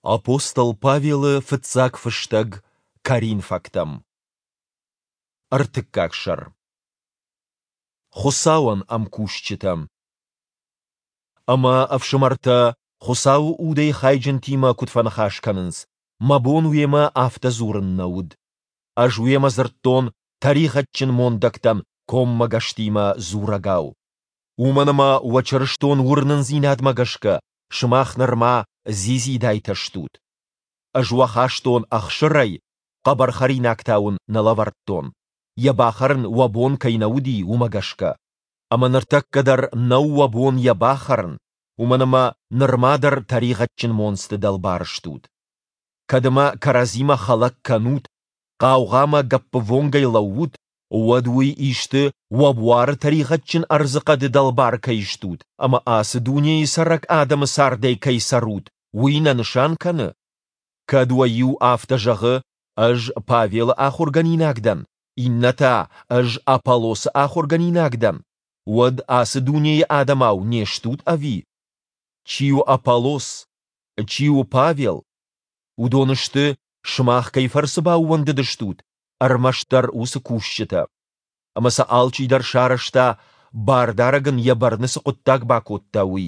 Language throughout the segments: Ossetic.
Апостол Павелы фыццаг фыстӕг Коринфӕгтӕм. Ӕртыккаг сӕр. Хуыцауӕн ӕмкусджытӕ. Ӕмӕ ӕфсымӕртӕ Хуыцауы Удӕй хайджынтимӕ куыд фӕныхас кӕнынц, мӕ бон уемӕ афтӕ дзурын нӕ уыд. Ӕз уемӕ дзырдтон тӕригъӕдджын мондӕгтӕн коммӕгӕстимӕ дзурӕгау. Уымӕн ӕмӕ уӕ чырыстон уырнындзинадмӕ гӕсгӕ сымах нырма дзидзидайтӕ стут. Ӕз уӕ хастон ӕхсырӕй, хъӕбӕр хӕринаг та уын нӕ лӕвӕрдтон, йӕ бахӕрын уӕ бон кӕй нӕ уыди, уымӕ гӕсгӕ. Ӕмӕ ныртӕккӕ дӕр нӕу уӕ бон йӕ бахӕрын, уымӕн ӕмӕ нырма дӕр тӕригъӕдджын монцты дӕлбар стут. Кӕд ӕмӕ кӕрӕдзимӕ хӕлӕг кӕнут, хъаугъамӕ гӕппывонгӕй лӕуут, уӕд уый исты уӕ буары тӕригъӕдджын ӕрдзыхъӕды дӕлбар кӕй стут ӕмӕ ацы дунейы цӕрӕг адӕмы цардӕй кӕй цӕрут, уый нӕ нысан кӕны? Кӕд уӕ иу афтӕ зӕгъы, ӕз Павелы ахуыргӕнинаг дӕн, иннӕ та, ӕз Аполлосы ахуыргӕнинаг дӕн, уӕд ацы дунейы адӕмау не стут ӕви? Чи у Аполлос? Чи у Павел? Уыдон сты, сымах кӕй фӕрцы баууӕндыдыстут, ӕрмӕстдӕр уыцы кусджытӕ. Ӕмӕ сӕ алчидӕр сарӕзта, Бардарӕг ын йӕ бӕрны цы хъуыддаг бакодта, уый.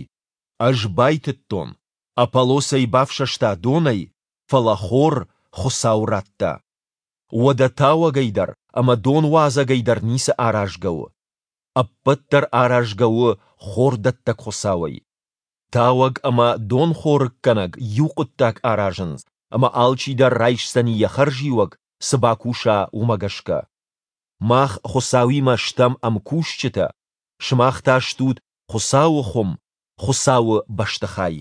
Ӕз байтыдтон, Аполлос ӕй бафсӕста донӕй, фӕлӕ хор Хуыцау радта. Уӕдӕ тауӕгӕй дӕр ӕмӕ донуадзӕгӕй дӕр ницы аразгӕ у. Ӕппӕт дӕр аразгӕ у хордӕттӕг Хуыцауӕй. Тауӕг ӕмӕ донхорыггӕнӕг иу хъуыддаг аразынц, ӕмӕ алчидӕр райсдзӕни йӕ хӕрзиуӕг, цы бакуса, уымӕ гӕсгӕ. Мах Хуыцауимӕ стӕм ӕмкусджытӕ, сымах та стут Хуыцауы хуым, Хуыцауы бӕстыхай.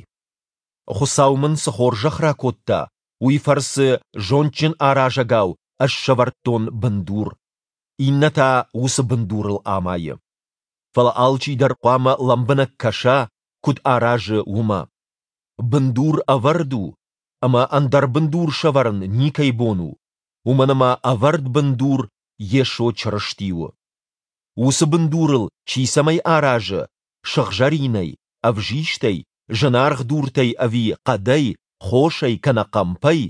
Хуыцау мын цы хорзӕх ракодта, уый фӕрцы зондджын аразӕгау ӕз сӕвӕрдтон бындур, иннӕ та уыцы бындурыл амайы. Фӕлӕ алчидӕр хъуамӕ лӕмбынӕг кӕса, куыд аразы, уымӕ. Бындур ӕвӕрд у, ӕмӕ ӕндӕр бындур сӕвӕрын никӕй бон у, уымӕн ӕмӕ ӕвӕрд бындур Йесо Чырысти у. Уыцы бындурыл чи цӕмӕй аразы, сыгъзӕринӕй, ӕвзистӕй, зынаргъ дуртӕй ӕви хъӕдӕй, хосӕй кӕнӕ хъӕмпӕй,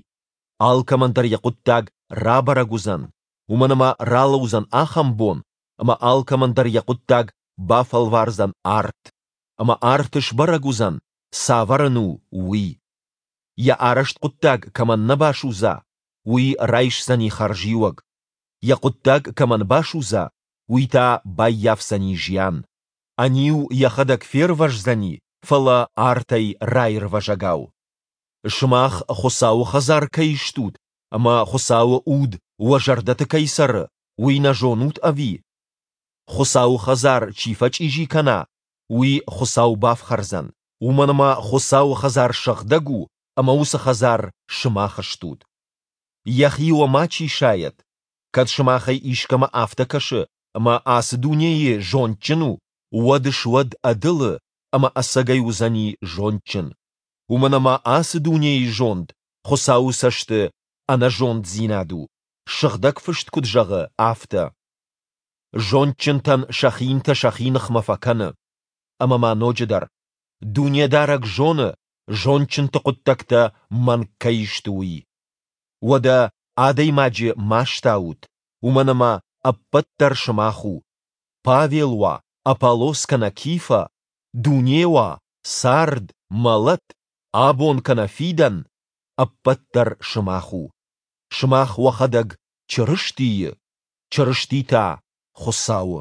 алкӕмӕн дӕр йӕ хъуыддаг рабӕрӕг уыдзӕн, уымӕн ӕмӕ ралӕудзӕн ахӕм бон, ӕмӕ алкӕмӕн дӕр йӕ хъуыддаг бафӕлвардзӕн арт, ӕмӕ арты сбӕрӕг уыдзӕн, цавӕр ын у, уый. Йӕ арӕзт хъуыддаг кӕмӕн нӕ басудза, уый райсдзӕни хӕрзиуӕг, йӕ хъуыддаг кӕмӕн басудза, уый та баййафдзӕни зиан. Ӕниу йӕхӕдӕг фервӕздзӕни, фӕлӕ артӕй раирвӕзӕгау. Сымах Хуыцауы хӕдзар кӕй стут ӕмӕ Хуыцауы Уд уӕ зӕрдӕты кӕй цӕры, уый нӕ зонут ӕви? Хуыцауы хӕдзар чи фӕчъизи кӕна, уый Хуыцау бафхӕрдзӕн, уымӕн ӕмӕ Хуыцауы хӕдзар сыгъдӕг у ӕмӕ уыцы хӕдзар сымах стут. Йӕхи уӕ мачи сайӕд, кӕд сымахӕй искӕмӕ афтӕ кӕсы, ӕмӕ ацы дунейы зондджын у, уӕд суӕд ӕдылы ӕмӕ ӕцӕгӕй уыдзӕни зондджын. Уымӕн ӕмӕ ацы дунейы зонд Хуыцауы цӕсты ӕнӕзонддзинад у, Сыгъдӕг Фыст куыд зӕгъы, афтӕ. Зондджынтӕн сӕ хинтӕ сӕхи ныхмӕ фӕкӕны. Ӕмӕ ма ноджыдӕр, Дунедарӕг зоны, зондджынты хъуыддӕгтӕ мӕнг кӕй сты, уый. Уӕдӕ адӕймаджы ма стаут, уымӕн ӕмӕ ӕппӕт дӕр сымах у, Павел уа, Аполлос кӕнӕ Кифӕ, дуне уа, цард, мӕлӕт, абон кӕнӕ фидӕн, ӕппӕт дӕр сымах у. Сымах уӕхӕдӕг Чырыстийы, Чырысти та Хуыцауы.